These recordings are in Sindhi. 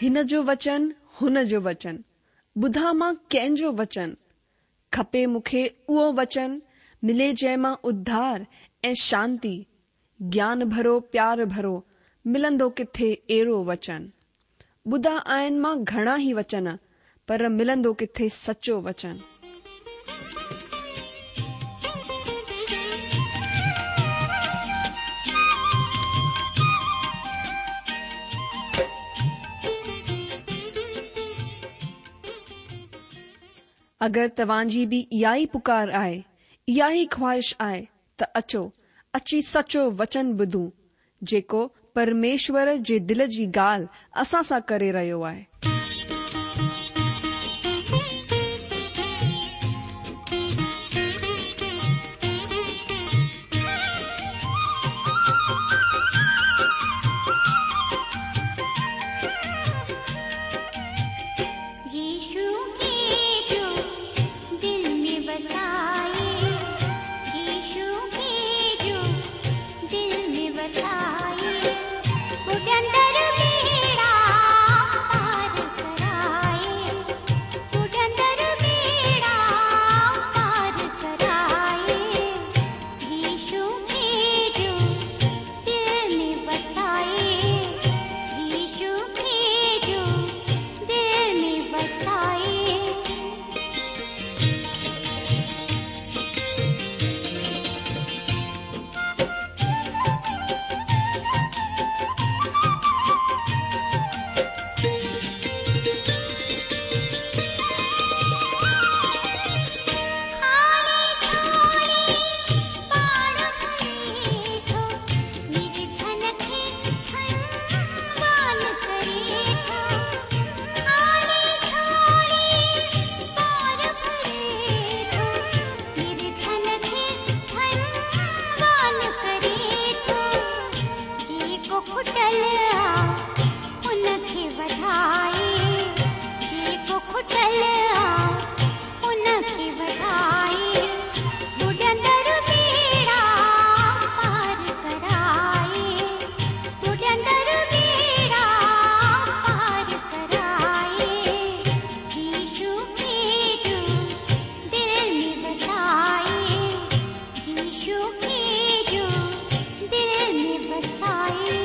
هن جو وچن، هن جو وچن، ٻڌان مان ڪنهن جو وچن؟ کپي مون کي اهو وچن، ملي جنهن مان اڌار ۽ شانتي، گيان ڀرو پيار ڀرو، ملندو ڪٿي اهڙو وچن؟ ٻڌا آهن مان گهڻا ئي وچن، پر ملندو ڪٿي سچو وچن؟ اگر توهان جي به اها ئي پڪار آهي، اها ئي خواهش آهي ته اچو، اچي سچو وچن ٻڌون، جيڪو پرميشور جي دل جي ڳالهه اسان سان ڪري رهيو آهي. يشو کي جو دل ۾ وسائي يشو کي جو دل ۾ وسائي ٻڏندڙ ٻيڙا پار ڪرائي ٻڏندڙ ٻيڙا پار ڪرائي يشو کي جو دل ۾ وسائي يشو کي جو دل ۾ وسائي. خالي جهولي پاڻ ڀري ٿو، نرڌن کي ڌنوان ڪري ٿو. خالي جهولي پاڻ ڀري ٿو، نرڌن کي ڌنوان ڪري ٿو. جيڪو کٽل آ ان کي وڌائي، جيڪو کٽل آ ان کي وڌائي، ٻڏندڙ ٻيڙا پار ڪرائي، ٻڏندڙ ٻيڙا پار ڪرائي، يشو کي جو دل ۾ وسائي، يشو کي جو دل ۾ وسائي.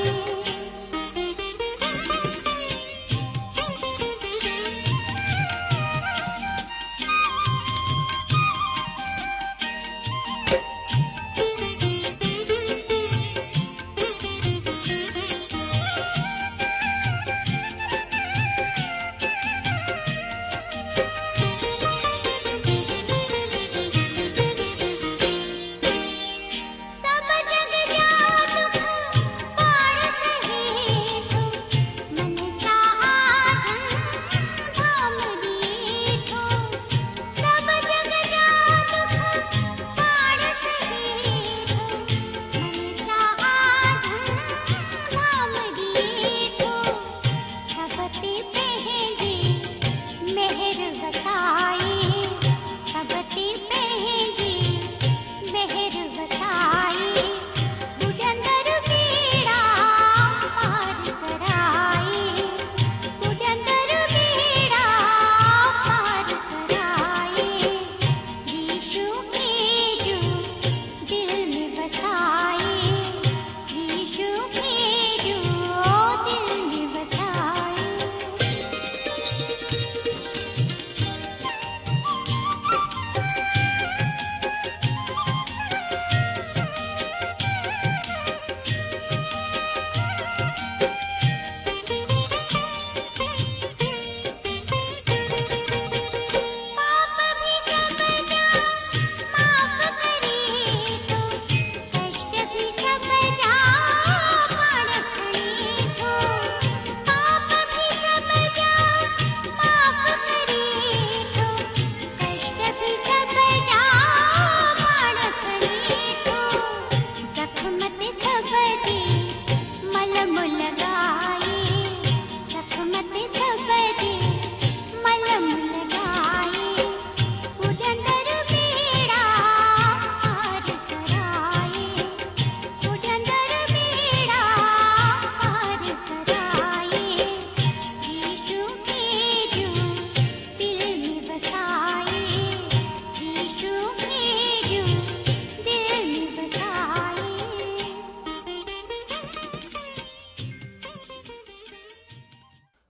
سڀ جڳ جا دک پاڻ سهي ٿو، من چاها ڌن ڌام ڏئي ٿو. سڀ جڳ جا دک پاڻ سهي ٿو، من چاها ڌن ڌام ڏئي ٿو. سڀ تي پنهنجي مهر وسائي، سڀ تي پنهنجي مهر وسائي، ٻڏندڙ ٻيڙا پار ڪرائي، ٻڏندڙ ٻيڙا پار ڪرائي، يشو کي جو دل ۾ وسائي، يشو کي جو دل ۾ وسائي.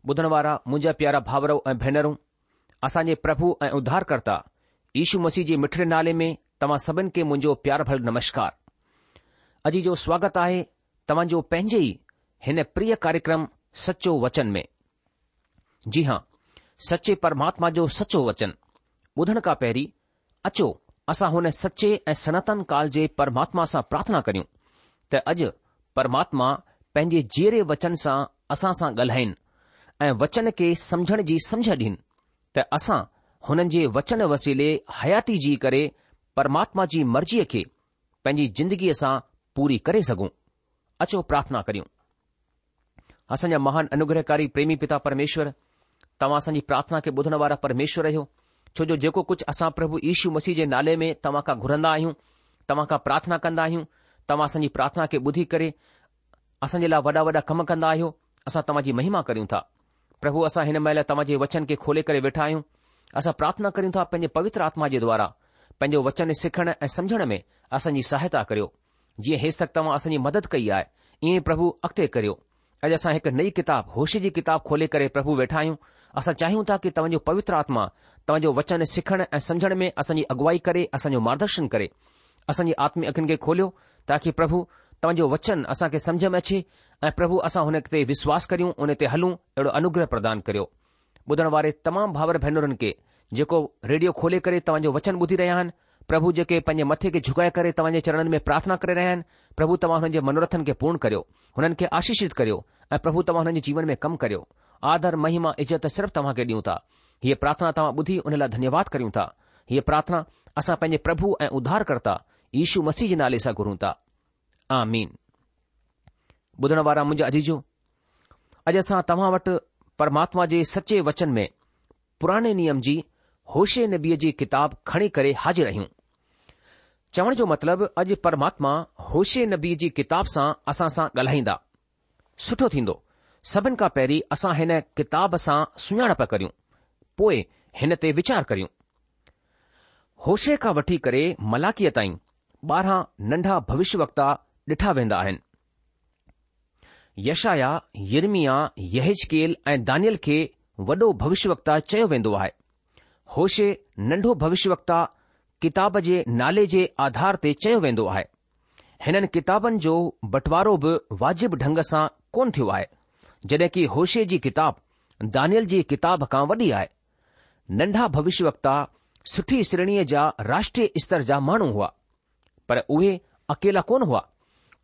ٻڌڻ وارا منهنجا پيارا ڀائرؤ ۽ ڀينرون، اسان جي پرڀو ۽ اڌارڪرتا يشو مسيح جي مٺڙي نالي ۾ توهان سڀن کي منهنجو پيار ڀريل نمشڪار. اڄ جو سواگت آهي توهان جو پنهنجي ئي هن پريه ڪاريڪرم سچو وچن ۾. جي هان، سچي پرماتما جو سچو وچن ٻڌڻ کان پهرين اچو اسان هن سچي ۽ سناتن ڪال جي پرماتما سان پرارٿنا ڪريون ته اڄ پرماتما پنهنجي جيئري وچن سان اسان سان ڳالهائين ۽ وچن کي سمجهڻ جي سمجهه ڏين ته اسان هنن جي وچن وسيلي حياتي جي ڪري پرماتما جي مرضيء کي پنهنجي زندگيء سان پوري ڪري سگهون. اچو پرارٿنا ڪريون. اسان جا مهان انوگرهڪاري پريمي پتا پرميشور، توهان اسان جي پرارٿنا کي ٻڌڻ وارا پرميشور آهيو، ڇو جو جيڪو ڪجهه اسان پرڀو يشو مسيح جي نالي ۾ توهان کان گهرندا آهيون، توهان کان پرارٿنا ڪندا آهيون، توهان اسان جي پرارٿنا کي ٻڌي ڪري اسان جي لاء وڏا وڏا ڪم ڪندا آهيو، اسان توهان جي مهما ڪريون ٿا. پرڀو اسان هن مهل توهان جي وچن کي کولي ڪري ويٺا آهيون. اسان پرارٿنا ڪريون ٿا پنهنجي پوتر آتما جي دوارا پنهنجو وچن سکڻ ۽ سمجهڻ ۾ اسان جي سهائتا ڪريو. جيئن هيستڪ توهان اسان جي مدد ڪئي آهي، ائين ئي پرڀو اڳتي ڪريو. اڄ اسان هڪ نئين ڪتاب، هوشع جي ڪتاب کولي ڪري پرڀو ويٺا آهيون. اسان چاهيون ٿا ڪي توهان جو پوتر آتما توهان جو وچن سکڻ ۽ سمجهڻ ۾ اسان جي اڳوائي ڪري، اسان جو مارگدرشن ڪري. اسان جي آتمي اکين کي کوليو تاڪي پرڀو توهان جو وچن اسان کي سمجهه ۾ اچي ۽ پرڀو اسان هن تي وشواس ڪريون، ان تي هلون، اهڙو انوگره پردان ڪريو. ٻڌڻ واري تمام ڀائر ڀينرن کي جيڪو ريڊيو کولي ڪري توهان جو وچن ٻڌي رهيا آهن، پرڀو جيڪي پنهنجي مٿي کي جهڪائي ڪري توهان جي چرڻن ۾ پرارٿنا ڪري رهيا آهن، پرڀو توهان هنن جي منورٿن کي پورڻ ڪريو، هنن کي آشيشت ڪريو ۽ پرڀو توهان هنن جي جيون ۾ ڪم ڪريو. آدر، مهما، عزت صرف توهان کي ڏيون ٿا. هيء پرارٿنا توهان ٻڌي ان لاء ڌنيواد ڪريون ٿا. هيء پرارٿنا اسان پنهنجي پرڀو ۽ اڌارڪرتا يشو مسيح جي نالي سان گهرون ٿا. آمين. ٻڌڻ وارا منهنجا عزيزو، اڄ اسان توهان وٽ پرماتما جي سچي وچن ۾ پراڻي نيم جي هوشع نبيء جي ڪتاب کڻي ڪري حاضر آهيون. چوڻ جو مطلب اڄ پرماتما هوشع نبيء جي ڪتاب سان اسان سان ڳالهائيندا. سٺو ٿيندو سڀن کان پهرين اسان هن ڪتاب سان سڃاڻپ ڪريون، پوء هن تي ويچار ڪريون. هوشع کان وٺي ڪري ملاڪيء تائين 12 ننڍا ڀوشيه وڪتا ڏٺا ويندا آهن. يشعيا، يرمياه، يحيزڪيل ۽ دانيل کي وڏو ڀوشيه وڪتا چيو ويندو آهي. هوشع ننڍو ڀوشيه وڪتا ڪتاب جي نالي جي آڌار تي چيو ويندو آهي. هنن ڪتابن جو بٽوارو به واجب ڍنگ سان ڪونه ٿيو آهي، جڏهن ڪي هوشع جي ڪتاب دانيل جي ڪتاب کان وڏي آهي. ننڍا ڀوشيه وڪتا سٺي شريڻيء جا راشٽريه استر جا ماڻهو هئا. پر اهي اڪيلا ڪونه هئا.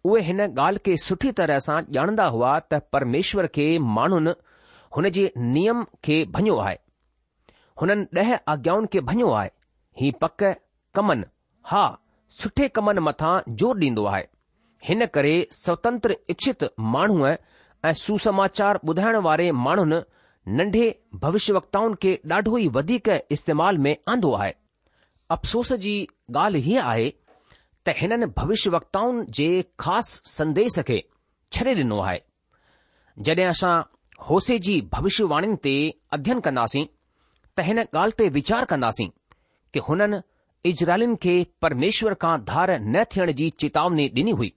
اهي هن ڳالهه کي سٺي طرح سان ڄاڻندا هئا ته پرميشور کي ماڻهن هن جي نيم کي ڀڃيو آهي. هنن ڏهه آگيائن کي ڀڃيو آهي. هي پڪ ڪمن، ها، سٺي ڪمن مٿان زور ڏيندو آهي. هن ڪري سوتنتر اڇت ماڻهوء ۽ سوسماچار ٻڌائڻ واري ماڻهن ننڍي ڀوشيوڪتائن کي ڏاڍو ئي وڌيڪ استعمال ۾ آندو آهي. افسوس جي ڳالهه هيء آهي ته هنن ڀوشيوڪتائن جي خاص سنديس کي ڇڏي ڏنو آهي. جڏهن اسان هوشع جي ڀوشيواڻين تي اڌين ڪنداسين ته هن ڳالهه تي ويچار ڪنداسين ڪي هنن اسرائيلين کي پرميشور کان ڌار نه ٿيڻ جي چيتاوني ڏني هئي.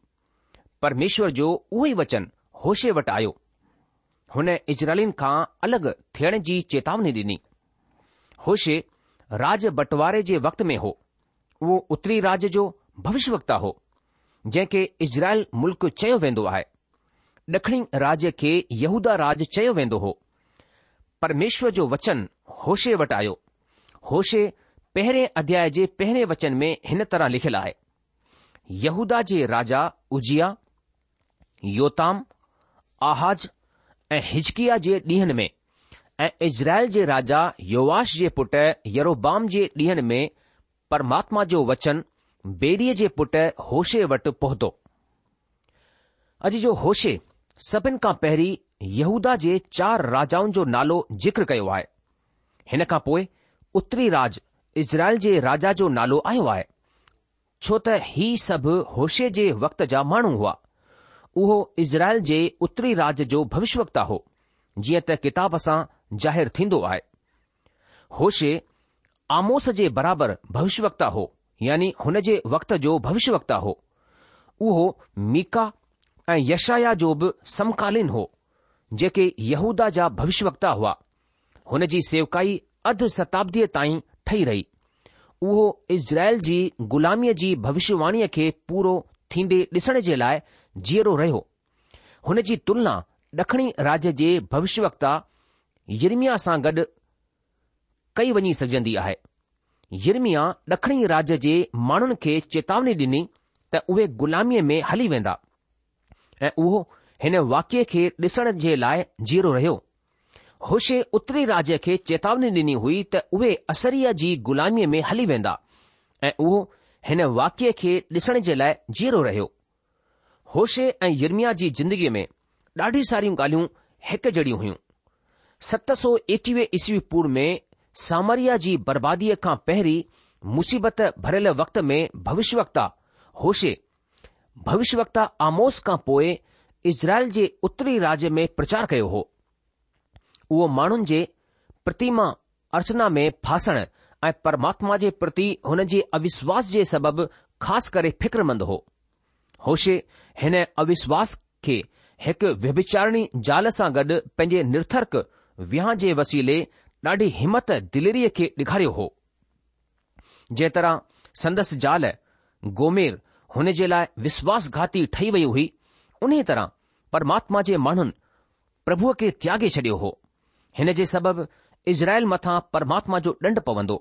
پرميشور جو اهو ئي وچن هوشع وٽ آيو. هن اسرائيلين کان الڳ ٿيڻ جي چيتاوني ڏني. هوشع راڄ بٽواري جي وقت ۾ هو. اهو اتري راڄ جو ڀوشيوڪتا هو، جنهن کي اسرائيل ملڪ چيو ويندو آهي. ڏکڻي راڄ کي يهوداه راڄ چيو ويندو هو. پرميشور جو وچن هوشع وٽ آيو. هوشع پهرين اڌياء جي پهرين وچن ۾ هن طرح لکيل آهي، يهوداه جي راجا عزياه، يوتام، آحاز ۽ حزقياه جي ڏينهن ۾ ۽ اسرائيل جي راجا يوآش جي پٽ يروبعام جي ڏينهن ۾ پرماتما جو وچن بيريء جي پٽ هوشع وٽ پهتو. اڄ جو هوشع سڀن کان پهرين يهوداه جي چار راجائن جو نالو ذڪر ڪيو آهي. هن کان پوء اتري راڄ اسرائيل جي راجا جو نالو آيو آهي. ڇو ته هي سڀ هوشع جي وقت جا ماڻهو هئا. اهو اسرائيل جي اتري راڄ جو ڀوشيوڪتا هو، جيئن ته ڪتاب سان ظاهر ٿيندو آهي. هوشع آموس جي برابر ڀوشيوڪتا هو، يعني هن جي وقت جو ڀوشيوڪتا هو. اهو ميڪا ۽ يشعيا جو به سمڪالين هو. جيڪي يهوداه جا ڀوشيوڪتا هئا. هن جي سيوڪائي اڌ شتابديء تائين ٺهي رهي. اهو اسرائيل جي غلاميء جي ڀوشيواڻيء کي پورو ٿيندي ڏسڻ جي لاء جيئرو رهيو. هن جي تلنا ڏکڻي راڄ جي ڀوشيوڪتا يرمياه سان گڏ ڪئي وڃي سگهجندي آهي. يرمياه ڏکڻي راڄ جي ماڻهن کي چيتاوني ڏني ته اهي غلاميء ۾ هلي ويندا ۽ اهو هن واقعي کي ڏسڻ جي لاء جيئرو رهيو. هوشع اتري راڄ کي چيتاوني ڏني هئي ته اهي اسريا جي غلاميء ۾ هلي ويندا ۽ اهو هن واقعي کي ڏسڻ جي لاء جيئرو رهيو. هوشع ۽ يرمياه جي زندگيء ۾ ڏاڍي ساريون ڳالهيون هڪ جهڙيون هيون. 721 عيسوي پورو ۾ سامريا جي برباديء کان پهرين مصيبت ڀريل وقت ۾ ڀوشيوڪتا هوشع ڀوشيوڪتا آموس کان پوء اسرائيل جي اتري راڄ ۾ پرچار ڪيو هو. اهو ماڻهن جي پرتيما ارچنا ۾ ڦاسڻ ۽ پرماتما جي پرتي هن جي اوشواس جي سبب خاص ڪري فڪرمند هو. هوشع هن اوشواس کي هڪ ويڀچارڻي زال سان گڏ پنهنجي نرٿرڪ وهانء جي وسيلي ڏاڍي همت دليريء کي ڏيکاريو هو. جنهن طرح سندس زال گومير هن جي لاء وشواس گهاتي ٺهي وئي هئي، انهيء طرح پرماتما جي ماڻهن پرڀوء کي تياڳي ڇڏيو هو. هن جي سبب اسرائيل مٿان پرماتما جو ڏنڊ پوندو.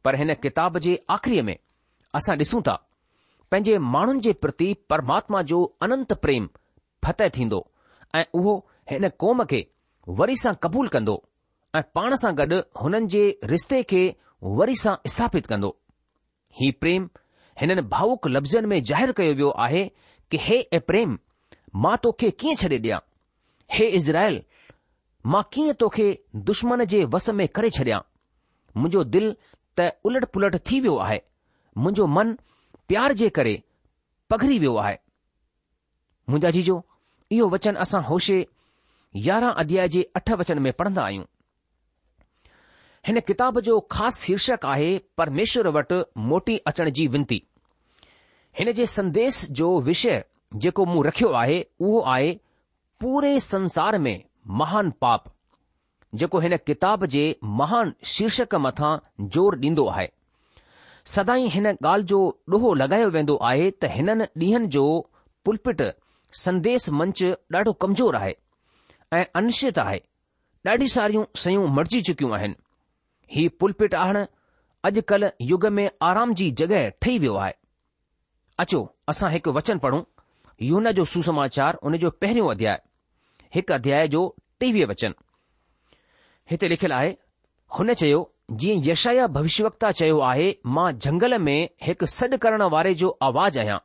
پر هن ڪتاب جي آخريء ۾ اسان ڏسون ٿا، پنهنجي ماڻهن جي پرتي پرماتما جو اننت پريم فتح ٿيندو ۽ اهو هن قوم کي وري سان قبول ڪندو ۽ پاڻ سان گڏ هنن جي رشتي کي وري سان اسٿاپت ڪندو. هي پريم هنن ڀاوڪ لفظن ۾ ظاهر ڪيو ويو آهي ڪه هي ايپريم، مان توکي ڪيئن ڇڏي ڏيان؟ هي اسرائيل، مان ڪيئن توکي دشمن جي وس ۾ ڪري ڇڏيان؟ منهنجو دل ته الٽ پلٽ ٿي ويو آهي، منهنجو من پيار جي ڪري پگهري ويو آهي. منهنجا عزيزو، اهو وچن اسان هوشع 11 اڌياء جي اٺ وچن ۾ پڙهندا آهيون. هن ڪتاب جو خاص شيرشڪ آهي پرميشور وٽ موٽي اچڻ جي ونتي. هن جي سنديش جو وشيه جيڪو مون رکيو آهي اهو آهي پوري سنسار ۾ مهان پاپ. جيڪو هن ڪتاب جي مهان شيرشڪ مٿان زور ڏيندو آهي. سدائين هن ڳالهه جو ڏوهه لڳايو ويندو آهي ته هنن ڏينهن جو پلپٽ سنديس منچ ڏاڍو ڪمزور آهي ۽ انشچت آهي. ڏاڍي ساريون شيون مٽجي چڪيون آهن. هي پلپٽ هاڻ اڄ ڪلهه يگ ۾ آرام جي جڳهه ٺهي ويو آهي. اچو اسان هڪ وچن پڙهون، يوحنا جو سوسماچار ان جو پهريون اڌياء، هڪ اڌياء جو 23 وچن. هتي لکيل آهي، هن چيو، جيئن يشعيا ڀوشيوڪتا چيو آهي، مان جهنگل ۾ هڪ سڏ ڪرڻ واري جو آواز آهيان،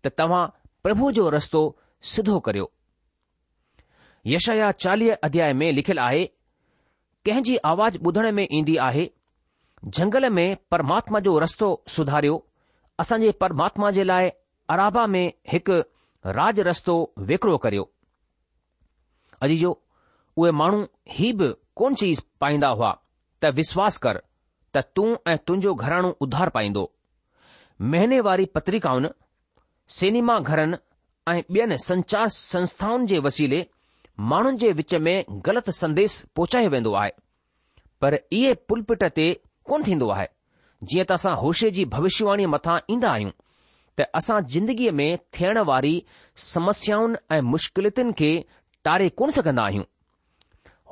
ته توهان پرڀوء جو رستو سڌو ڪريو. يشعيا 40 اڌياء ۾ لکيل آهي، ڪنهن جي آواز ٻڌڻ ۾ ايندي آهي، جهنگل ۾ پرماتما جو رستو سڌاريو، اسان جي پرماتما جي لاء ارابا ۾ هڪ راڄ رستو ويڪرو ڪريو. عزيزو، اهي ماڻهو هي به ڪونه چئي پائيندا هئا ته وشواس ڪر ته تون ۽ تنهنجو گهراڻو اڌار پائيندو. مهيني واري پتريڪائن، سئنيما گهرن ۽ ٻين سنچار سنسٿائن جي وسيلي ماڻهن جي وچ ۾ غلط سنديس پهچايو ويندو آهي. پر اهي پلپٽ تي ڪونه ٿيندو آهي. جيئن ته اسان هوشع جي ڀوشيواڻيء مٿان ايندا آهيون ته اسان زندگيء ۾ ٿيڻ واري سمسيائن ۽ مشڪلتن کي ٽاري ڪونه سگهندا آهيون.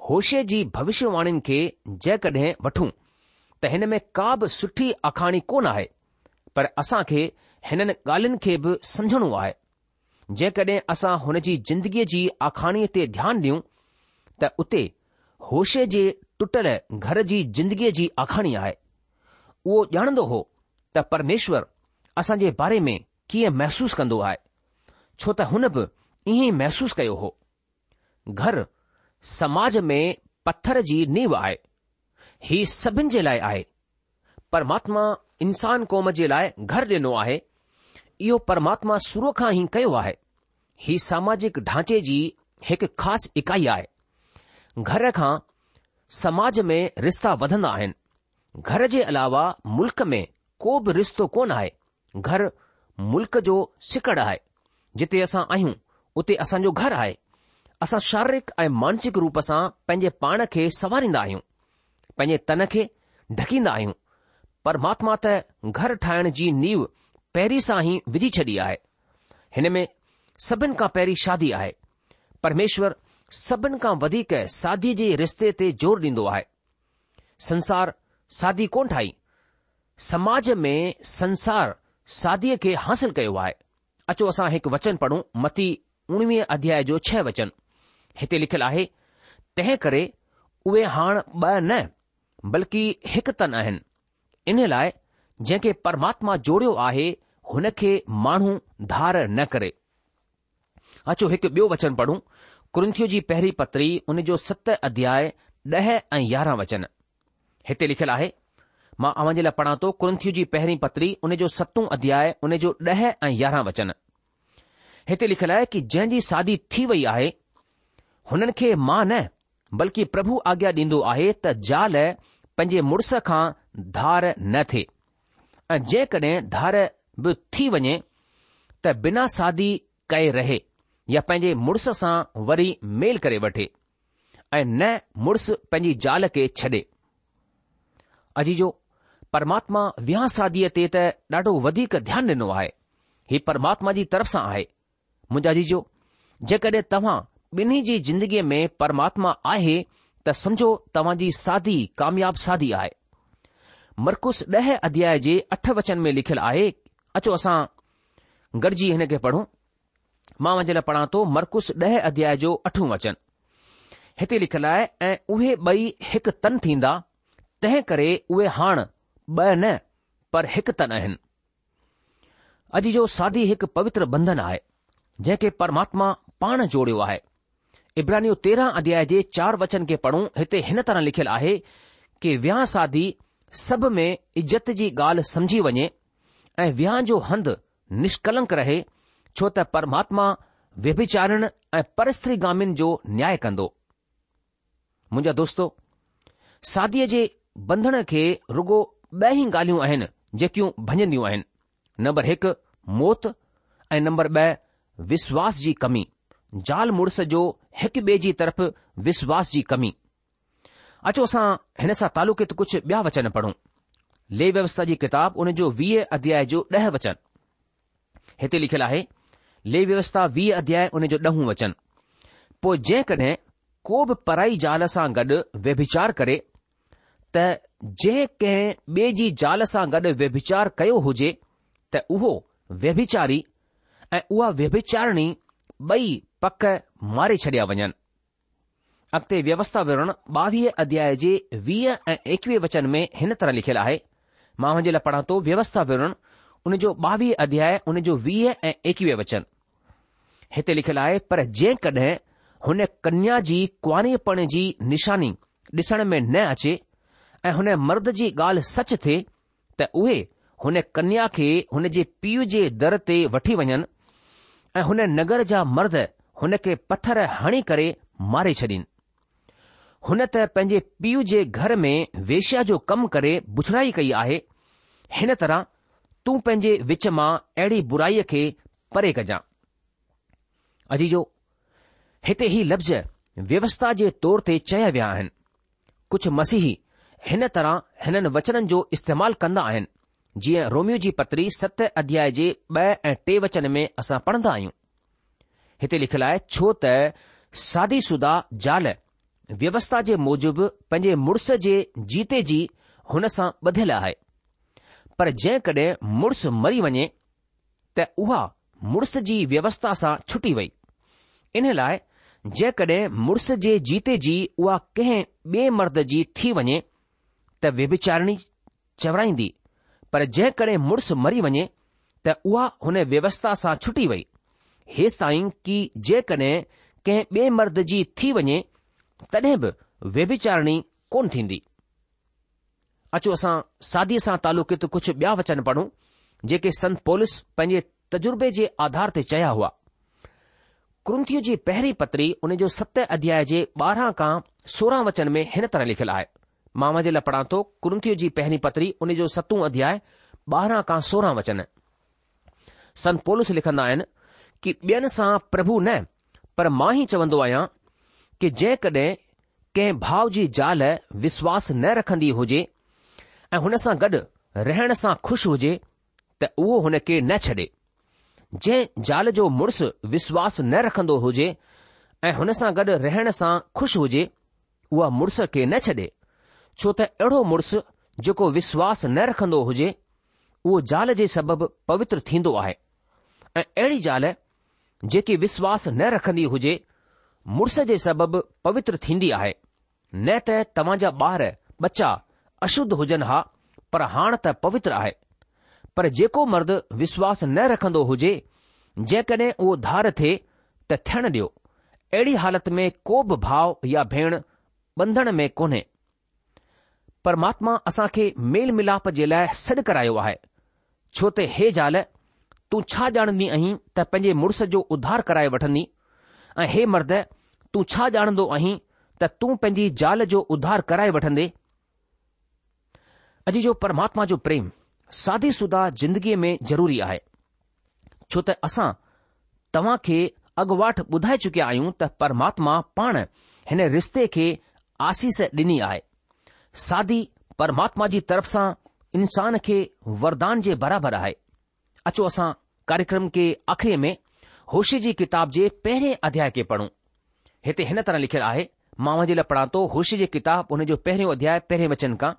هوشع جي ڀوشيواڻين کي جيڪڏهن وٺون ته هن ۾ ڪا به سٺي آکاڻي ڪونه آهي. پر اسان کي هنن ڳالهين کي به سمجهڻو آهي. جيڪڏهن اسان هن جي زندگيء جي آکاڻيء تي ڌيان ڏيون ته اتي هوشع جي ٽٽل گهر جي زندگيء جي آکاڻي آهي. اهو ڄاڻندو هو ته پرميشور اسان جي باري ۾ ڪيئن محسوس ڪندو آهي، ڇو ته هن به ائين ئي محسوس ڪيو هو. گهر سماج ۾ پٿر جي نيو آهي. هي سڀن جي لاء آهي. پرماتما انسان قوم جي لاء گهر ڏنو آهي. اهو پرماتما شروع کان ئي ڪيو آهي. هي ساماجڪ ڍانچي جي هڪ خاص اڪائي آهي. گهر کان سماج ۾ رشتا وڌندا آهن. گهر جي علاوه ملڪ ۾ ڪو به رشتو ڪونه آهي. گهر ملڪ جو سڪڙ آهي. جتي اسان آهيون، اتي اسان جو گهر آهي. اسان شاريرڪ ۽ مانسڪ روپ سان پنهنجي پاڻ کي سنواريندا آهيون، پنهنجي تن کي ڍڪيندا آهيون. پرماتما ته گهر ٺاهڻ جي نيو پهرين سان ئي وجهي ڇڏي آهي. هن ۾ سڀن کان پهرين شادي آهي. پرميشور سڀن کان وڌيڪ شاديء جي رشتي تي زور ڏيندو آهي. سنسار شادي ڪونه ٺاهي. سماج ۾ سنسار شاديء کي حاصل ڪيو آهي. اچو اسان هڪ وچن پڙهون متي اڻويهه اڌياء جو ڇهه وچن. هتي لکيل آهي، تنهن ڪري اهي هاڻ ٻه نه بلڪ هڪ تن آهن. ان لاء جنهن کي پرماتما جوڙيو آهي هن کي ماڻهو ڌار نه ڪري. اچو هڪ ٻيو وچن پڙهون ڪرنٿيو جي پهرين پتري ان جو ست اڌياء ڏهه ۽ يارهن وچن. هتي لکيل آهي، مان اوهان جي لاء پڙهان ٿو ڪرنٿيو جي پهرين پتري ان جو ستون اڌياء ان جو ڏهه ۽ يارهن وچن. هتي لکيل آهي ڪي جنهن جي شادي ٿي وئي آهي هنن کي مان نه بلڪه پرڀو آگيا ڏيندو آهي ته زال پنهنجي مڙس کان ڌار نه ٿئي ۽ جيڪڏهن ڌار به ٿي وڃي ته بنا شادي ڪئي رهي يا پنهنجي مڙس سان وري ميل ڪري وٺي. ۽ نه مڙس پنهنجي زال کي ڇڏي. عزيزو! پرماتما وهانء شاديء تي ته ڏاڍو وڌيڪ ڌيان ڏنو آهي. هي پرماتما جي طرف سان آهي. منهنجا عزيزو! جيڪڏهن توهان ٻنهي جي زندگيء ۾ پرماتما آهي ته سمجهو توهان جي شادي ڪامياب شادي آهي. مرقس ڏهه اڌياء جي اٺ وچن ۾ لکيل آهي، اچو اسان گڏجي هن کي پڙهون. مان اوهان جي لاء پڙهان ٿو مرقس ڏهه اڌياء جو اٺون وچن. هتي لکيل آهي ۽ اهي ٻئي هڪ تن ٿيندا، تنهن ڪري اهي هاڻ ٻه نه پر هڪ تن آهن. عزيزو شادي هڪ پوتر بنڌن آهي، جنهن کي پرماتما پاڻ جوڙيو آهي. عبرانيون 13 اڌياء جي چار وچن کي پڙهون هتي هن طرح لکيل آهي ڪي وهانء شادي سڀ ۾ عزت جي ڳالهه سمجهي وڃي ۽ وهانء جو هنڌ نشڪلنڪ رهي، ڇو ته پرماتما ويڀچارين ۽ پرستريگامين جو نياء ڪندو. منهنجا دوستو، شاديء جي بنڌڻ کي رڳو ٻه ئي ڳالهيون آهن جيڪيون ڀڃنديون آهن. نمبر هڪ موت ۽ نمبر ٻه وشواس جي ڪمي، زال مڙس جو هڪ ٻئي جي طرف وشواس جي ڪمي. اچو اسان هن سان تعلقيت ڪجهه ٻيا وچن پڙهون. ليويوسٿا جي ڪتاب ان جو 20 اڌياء جو 10 وچن. هتي لکيل آهي، ليويوسٿا 20 اڌياء ان جو ڏهون وچن. پوء جيڪڏهن ڪو به پرائي زال سان گڏ ويڀچار ڪري ته جنهن ڪنهن ٻئي جي زال سان گڏ ويڀچار ڪيو هجي ته اهو ويڀچاري ۽ اها ويڀچارڻي ٻئي پڪ ماري ڇڏيا وڃن. اڳتي ويوسٿا وورڻ ٻاويهه اڌياء جي 20 ۽ 21 وچن ۾ هن طرح لکيل آهي، مان اوهان جي لاء پڙهان ٿو ويوسٿا وورڻ ان جو 22 اڌياء ان جو 20 ۽ 21 وچن. هتي لکيل آهي پر جيڪڏهن هن ڪنيا جي ڪنواريپڻ جي نشاني ڏسڻ ۾ نه اچي ۽ هن مرد جي ڳالهه سچ ٿئي ته اهي هن ڪنيا کي هن جي پيء جي در تي وٺي وڃن ۽ هن نگر جا مرد هن کي پٿر هڻي ڪري ماري ڇڏين. هن ته پنهنجي پيء جي گهر ۾ ويشيا جو ڪم ڪري بڇڙائي ڪئي آهي، هن طرح تون پنهنجي وچ مان اهڙي برائيء کي پري ڪجان. عزيزو! هتي هي لفظ ويوسٿا جي طور تي چيا ويا آهن. ڪجهه مسيحي هن طرح هنن وچنن جو استعمال ڪندا آهن، جيئن روميو جي پتري ست اڌياء جي ٻه ۽ ٽي وچن ۾ اسان پڙهندا آهيون. هتي لکيل آهي، ڇو ته شادي شده زال ويوسٿا جي موجب پنهنجي مڙس جي جيتي جي هن سان ٻڌل آهي، پر جيڪڏهن مڙس مري وڃي ته اها مڙس جي ويوسٿا سان ڇٽي وئي. ان لاء جيڪڏهن مڙس جي جيتي جي اها ڪنهن ٻئي مرد جي ٿي وڃي ته ويڀچارڻي چورائيندي، پر جيڪڏهن مڙس مري وڃي ته اها هن ويوسٿا سان ڇٽي وئي، هيستائين ڪي جيڪڏهن ڪنهن ٻئي مرد جي ٿي وڃي تڏهن به ويڀچارڻي ڪونه ٿيندي. اچو اسان شاديء سان تعلقيت ڪجهه ٻيا وچن پڙهون، جيڪي سنت پولس پنهنجي تجربي جي آڌار تي چيا هئا. ڪرنٿيون جي پهرين پتري ان جو ست اڌياء جي 12 کان 16 وچن ۾ هن طرح لکيل آهي. مان اوهان جي لاء پڙهان ٿو ڪرنٿيون جي پهرين پتري ان جو ستون اڌياء 12 کان 16 وچن. سنت پولس لکندا آهن ڪي ٻين سان پرڀو نه پر مان هي چوندو آهيان ڪي جيڪڏهن ڪنهن ڀاء جي زال وشواس نه رکندي هجي ۽ هن سان گڏ رهڻ سان خوش هجي ته اهو هن کي نه ڇڏي. جنهن زال جو مڙس وشواس نه رکندو هجي ۽ هن سان گڏ رهڻ سان خوش هجي، اها مڙس کي نه ڇڏي، ڇو ته اهڙو مڙس جيڪو وشواس نه رکندو هجي، اهو زال جي سبب پوتر ٿيندو آهي ۽ اهڙي زال جيڪي وشواس نه رکندي هجي، مڙس جي سبب پوتر ٿيندي آهي. نه ته توهان جا ٻار، ٻچا، اشڌ هجن ها، پر هاڻ ته پوتر آهي. پر جيڪو مرد وشواس نه رکندو هجي، جيڪڏهن اهو ڌار ٿئي ته ٿيڻ ڏيو. اهڙي حالت ۾ ڪو به ڀاء يا ڀيڻ ٻنڌڻ ۾ ڪونهي. پرماتما اسان کي ميل ملاپ جي لاء سڏ ڪرايو آهي، ڇو ته هي زال، تون ڇا ڄاڻندي آهين ته پنهنجي مڙس جو اڌار ڪرائي وٺندي؟ ۽ هي مرد، تون ڇا ڄاڻندو آهين ته تون پنهنجي زال جو اڌار ڪرائي وٺندي؟ عزيزو پرماتما جو پريم شادي شده زندگيء ۾ ضروري آهي. ڇو ته اسان توهان کي اڳواٽ ٻڌائي چڪيا آهيون ته پرماتما پاڻ هن رشتي کي آسيس ڏني آهي. شادي پرماتما جي طرف سان انسان کي وردان جي برابر آهي. اچو اسان ڪاريڪرم کي آخري ۾ هوشع جي ڪتاب جي پهرين اڌياء کي پڙهون. هتي هن طرح لکيل آهي، مان اوهان جي لاء پڙهان ٿو هوشع جي ڪتاب ان جو پهريون اڌياء پهرين وچن کان،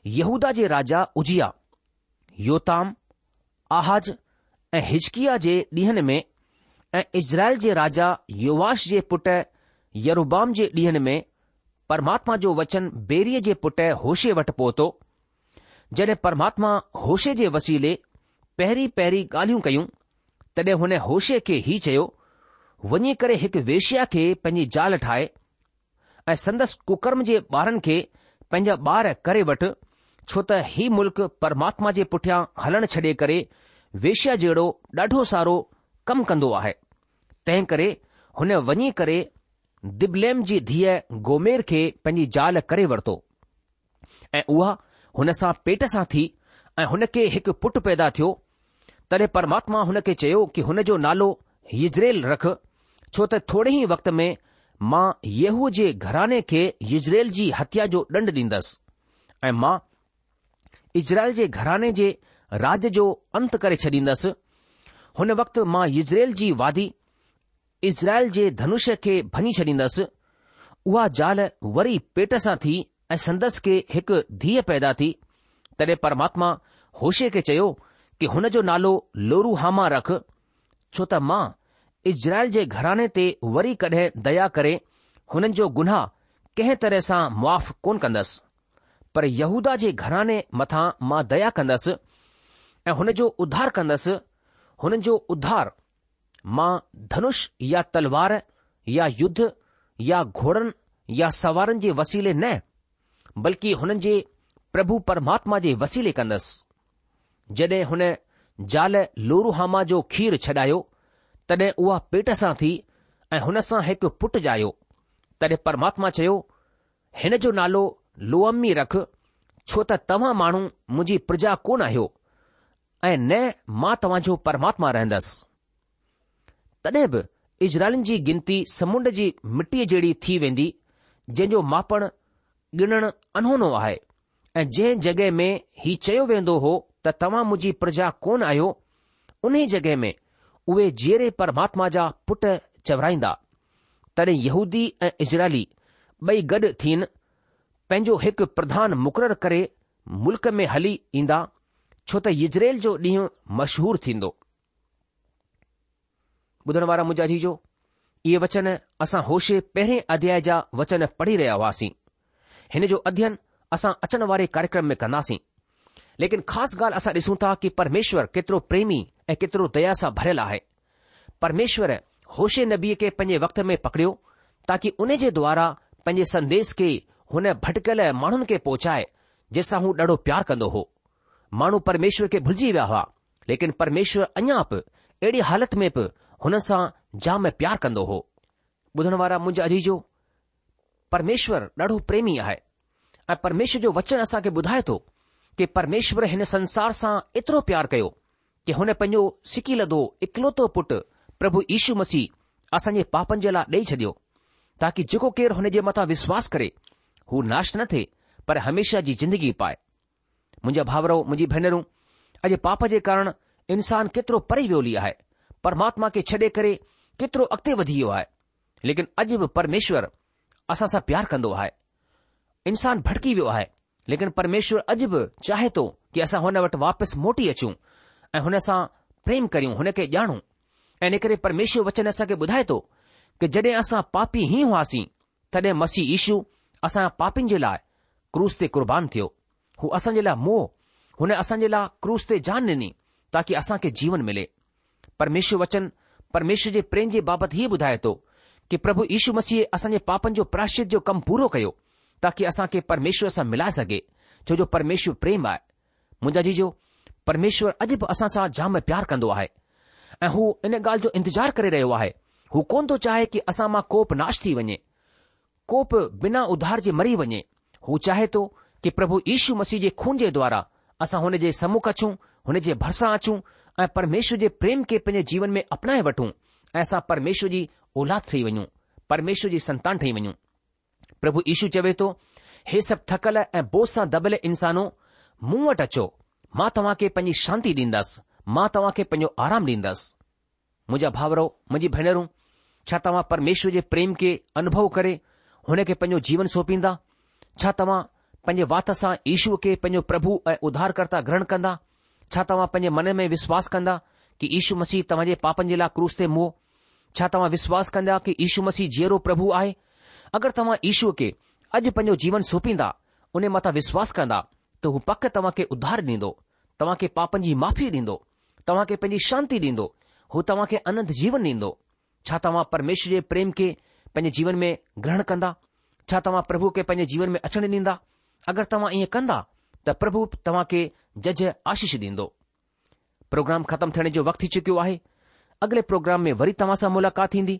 يهوداه جي راجا عزياه، يوتام، آحاز ۽ حزقياه جي ڏينهن ۾ ۽ اسرائيل جي راجا يوآش جي پٽ يربعام جي ڏينهن ۾ پرماتما جو وچن بيريء جي پٽ هوشع وٽ پهتو. جڏهن پرماتما هوشع جي وسيلي پهرين پهرين ڳالهيون ڪيون، تڏهن هن هوشع کي هي چيو، وڃي ڪري هڪ ويشيا کي پنهنجي زال ٺاهه ۽ سندس ڪڪرم جي ٻارن کي پنهنجا ٻار ڪري وٺ، ڇو ته هي ملڪ پرماتما جي پٺيان هلڻ ڇڏي ڪري ويشيا جهڙو ڏاڍو سارو ڪم ڪندو آهي. تنهن ڪري هن وڃي ڪري دبليم جي ڌيء گومير کي پنهنجي زال ڪري ورتو. ۽ اها هن سان پيٽ سان ٿي ۽ هن کي هڪ پٽ پيدا ٿيو. تڏهن پرماتما هن کي چيو ڪي هن جو نالو يزريل رک، ڇو ته ٿوري ئي وقت ۾ مان ييهوء جي گهراڻي کي يزريل جي هتيا جو ڏنڊ ڏيندس ۽ مان اسرائيل جي گهراڻي جي راڄ جو انت ڪري ڇڏيندس. هن وقت مان يزريل جي وادي اسرائيل جي ڌنش کي ڀڃي ڇڏيندس. اها زال وري پيٽ سان ٿي ۽ سندس کي هڪ ڌيء پيدا ٿي. تڏهن پرماتما هوشع کي چيو ڪي هن جو نالو لوروحاما رک، ڇو ته مان اسرائيل جي گهراڻي تي وري ڪڏهن ديا ڪري هنن جو گناهه ڪنهن طرح سان معاف ڪونه ڪندس. پر يهوداه جي گهراڻي مٿان مان ديا ڪندس ۽ هن جو اڌار ڪندس، هنن جو اڌار مان ڌنش يا تلوار يا يڌ يا گهوڙن يا سوارن جي وسيلي نه، بلڪه هنن جي پرڀو پرماتما جي وسيلي ڪندس. جڏهن هن زال لوروحاما جو کير ڇڏايو، تڏهن اها پيٽ سان ٿي ۽ هن سان هڪ پٽ ڄايو. تڏهن پرماتما چيو، هن جو نالو لوعمي رک، ڇو ته توهان ماڻهو منهنجي پرجا ڪونه آهيو ۽ نه مان توهان جو پرماتما رهندس. تڏهن به اسرائيلين جي گنتي سمنڊ جي مٽيء جهڙي ٿي ويندي، جنهن جو ماپڻ ڳڻڻ اڻهونو آهي، ۽ جنهن جڳهه ۾ هي چيو ويندو هو ته توهان منهنجي پرجا ڪونه آهيو، انهي جڳهه ۾ اهي جيئري پرماتما جا پٽ چورائيندا. تڏهن يهودي ۽ اسرائيلي ٻئي گڏ ٿين پنهنجو هڪ پرڌان مقرر ڪري ملڪ ۾ هلي ايندا، ڇو ته يزريل جو ڏينهن مشهور ٿيندو. ٻڌڻ وارا منهنجا عزيزو، اهي وچن اسان هوشع پهرين اڌياء جا وچن پڙهي رهيا هئاسين. هن جو اڌين اسان اچڻ واري ڪاريڪرم ۾ ڪنداسين. ليڪن خاص ڳالهه اسان ڏسون ٿا ڪي پرميشور ڪيترو پريمي ۽ ڪيترو ديا سان ڀريل آهي. پرميشور هوشع نبيء کي پنهنجي وقت ۾ پڪڙيو تاڪي ان جي دوارا پنهنجي سنديش کي هن ڀٽڪيل ماڻهن کي پهچائي جنهن سان هو ڏاڍو پيار ڪندو هو. ماڻهو پرميشور کي ڀلجي ويا هئا، ليڪن پرميشور اڃا به اهڙي حالت ۾ به هنن سان جام پيار ڪندو هو. ٻڌڻ وارا منهنجا عزيزو، پرميشور ڏاڍو پريمي آهي ۽ پرميشور جو وچن اسان کي ٻڌائي ٿو ڪي پرميشور هن سنسار سان ايترو پيار ڪيو ڪي هن پنهنجو سڪيلڌو اڪلوتو پٽ پرڀو يشو مسيح اسان جي پاپن جي لاء ڏئي ڇڏيو، تاڪي جيڪو ڪير هن جي مٿان وشواس ڪري، هو ناش نه ٿئي، پر هميشه جي زندگي پائي. منهنجا ڀائرو، منهنجي ڀينرون، اڄ پاپ جي ڪارڻ انسان ڪيترو پري ويو هلي آهي، پرماتما کي ڇڏي ڪري ڪيترو اڳتي وڌي ويو آهي، ليڪن اڄ به پرميشور اسان سان پيار ڪندو آهي. انسان ڀٽڪي ويو آهي، ليڪن پرميشور اڄ به چاهي ٿو ڪي اسان هن وٽ واپس موٽي اچون ۽ هن سان پريم ڪريون، هن کي ڄاڻون. ۽ ان ڪري پرميشور وچن اسان کي ٻڌائي ٿو ڪي جڏهن اسان پاپي ئي هئاسين، تڏهن مسيح يشو اسان پاپين جي لاء ڪروس تي قربان ٿيو. هو اسان جي لاء مئو. هن اسان جي لاء ڪروس تي جان ڏني تاڪي اسان کي جيون ملي. پرميشور وچن پرميشور جي پريم جي بابت هيء ٻڌائي ٿو ڪي پرڀو يشو مسيح اسان جي پاپن جو پراشچت جو ڪم پورو ڪيو تاڪي اسان کي پرميشور سان ملائي سگهي ڇو جو پرميشور پريم آهي. منهنجا عزيزو، پرميشور اڄ به اسان سان جام پيار ڪندو آهي ۽ هو ان ڳالهه جو انتظار ڪري رهيو آهي. هو ڪونه ٿو چاهي ڪي اسان مان ڪو به ناش ٿي وڃي، ڪو به بنا اڌار جي مري وڃي. هو چاهي ٿو ڪي پرڀو يشو مسيح جي خون جي دوارا اسان هن جي سمک اچون، هن جي ڀرسان اچون ۽ پرميشور جي پريم کي پنهنجي جيون ۾ اپنائي وٺون ۽ اسان پرميشور جي اولاد ٺهي وڃون، پرميشور جي سنتان ٺهي وڃون. پرڀو يشو چوي ٿو، هي سڀ ٿڪل ۽ بوجه سان دٻيل انسانو، مون وٽ اچو، مان توهان کي پنهنجي شانتي ڏيندس، مان توهان کي پنهنجو آرام ڏيندس. منهنجا ڀائرو، منهنجي ڀينرون، ڇا توهان پرميشور جي پريم کي انوڀو ڪري هن کي پنهنجو جيون سونپيندا؟ ڇا توهان پنهنجي وات سان يشوء کي پنهنجو پرڀو ۽ اڌارڪرتا گرهڻ ڪندا؟ ڇا توهان پنهنجي من ۾ وشواس ڪندا ڪي يشو مسيح توهان جي پاپن جي لاء ڪروس تي مئو؟ ڇا توهان وشواس ڪندا ڪي يشو مسيح جيئرو پرڀو آهي؟ اگر توهان يشوء کي اڄ پنهنجو جيون سونپيندا، انهي مٿان وشواس ڪندا ته هو پڪ توهان کي اڌار ڏيندو، توهان کي پاپن جي معافي ڏيندو، توهان کي پنهنجي شانتي ڏيندو، هو توهان کي اننت جيون ڏيندو. ڇا توهان پرميشور جي پريم کي پنهنجي جيون ۾ گرهڻ ڪندا؟ ڇا توهان پرڀوء کي پنهنجي جيون ۾ اچڻ ڏيندا؟ اگر توهان ائين ڪندا ته پرڀو توهان کي ججهه آشيش ڏيندو. پروگرام ختم ٿيڻ جو وقت ٿي چڪيو آهي. اڳلي پروگرام ۾ وري توهان سان ملاقات ٿيندي.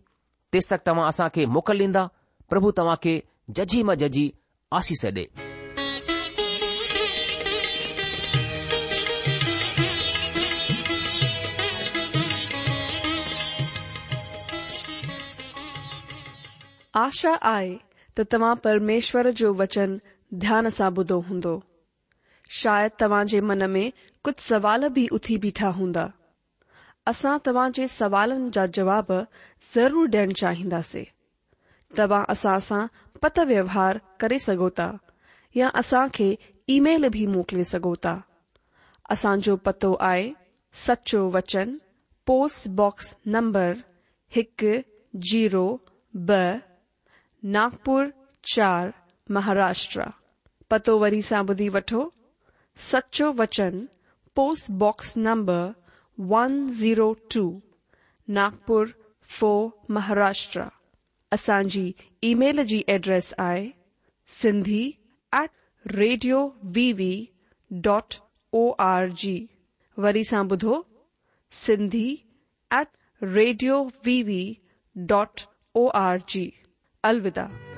تيستڪ توهان اسان کي موڪل ڏيندا. پرڀو توهان کي ججهي مان ججهي آشيش ڏي. آشا آهي ته توهان پرميشور جو وچن ڌيان سان ٻڌو هوندو. شايد توهان جي من ۾ ڪجهه سوال به اٿي بيٺا هوندا. اسان توهان جي سوالن جا جواب ضرور ڏيڻ چاهينداسين. توهان اسان سان پتر ويوهار ڪري سگهو ٿا يا اسان کي اي ميل به موڪلي سگهو ٿا. اسان جو پتو آهي سچو وچن پوسٽ باڪس نمبر هڪ زيرو ٻه ناگپور چار مهاراشٽرا. پتو وري سان ٻڌي وٺو سچو وچن post box number one zero two Nagpur four Maharashtra. اسان جي اي ميل جي ايڊريس آهي Sindhi at radio V V dot O R G وري سان ٻڌو Sindhi at radio V V dot O R G. الوداع.